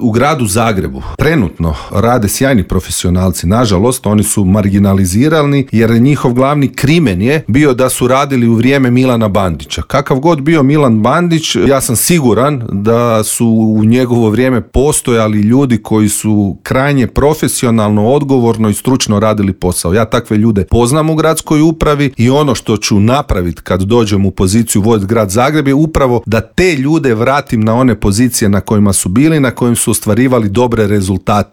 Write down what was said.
U gradu Zagrebu trenutno rade sjajni profesionalci. Nažalost, oni su marginalizirani jer njihov glavni krimen je bio da su radili u vrijeme Milana Bandića. Kakav god bio Milan Bandić, ja sam siguran da su u njegovo vrijeme postojali ljudi koji su krajnje profesionalno, odgovorno i stručno radili posao. Ja takve ljude poznam u gradskoj upravi i ono što ću napraviti kad dođem u poziciju voditi grad Zagreb je upravo da te ljude vratim na one pozicije na kojima su bili, na kojim su ostvarivali dobre rezultate.